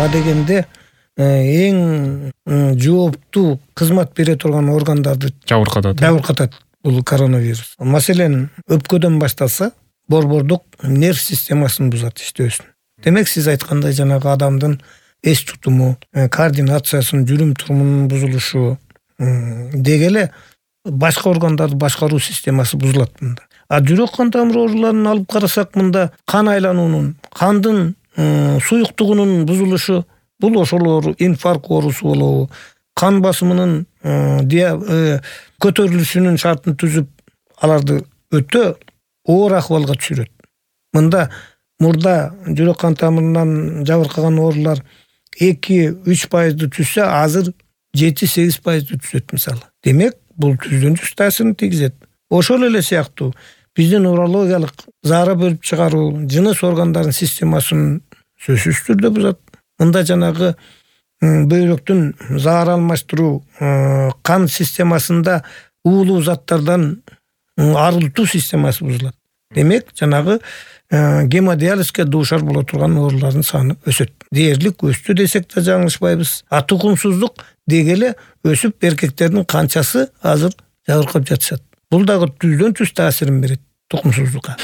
адегенде эң жооптуу кызмат бере турган органдарды жабыркатат бул коронавирус. Маселен, өпкөдөн башталса, борбордук нерв системасын бузат иштөөсүн. Демек, сиз айткандай жанагы адамдын эс тутуму, координациясын, жүрүм турумунун бузулушу деги эле башка органдарды башкаруу системасы бузулат мында. Жүрөк кан тамыр ооруларын алып карасак, мында кан айлануунун, кандын суюктугунун бузулушу, бул ошолор инфаркт оорусу болобу, кан басымынын көтөрүлүшүнүн шартын түзүп, аларды өтө оор акыбалга түшүрөт. Мында мурда жүрөк кан тамырынан жабыркаган оорулар 2-3% түшсө, азыр 7-8% түшөт мисалы. Демек, бул түздөн түз таасирин тийгизет. Ошол эле сыяктуу биздин урологиялык заара бөлүп чыгаруу, жыныс органдарын системасын сөзсүз түрдө бузат. Мында жанагы бөйрөктүн заара алмаштыруу, кан системасында уулуу заттардан арылтуу системасы бузулат. Демек, жанагы гемодиализге дуушар боло турган оорулардын саны өсөт. Дээрлик өстү десек да жаңылышпайбыз. Тукумсуздук деги эле өсүп, эркектердин канчасы азыр жабыркап жатышат. Бул дагы түздөн түз таасирин берет тукумсуздукка.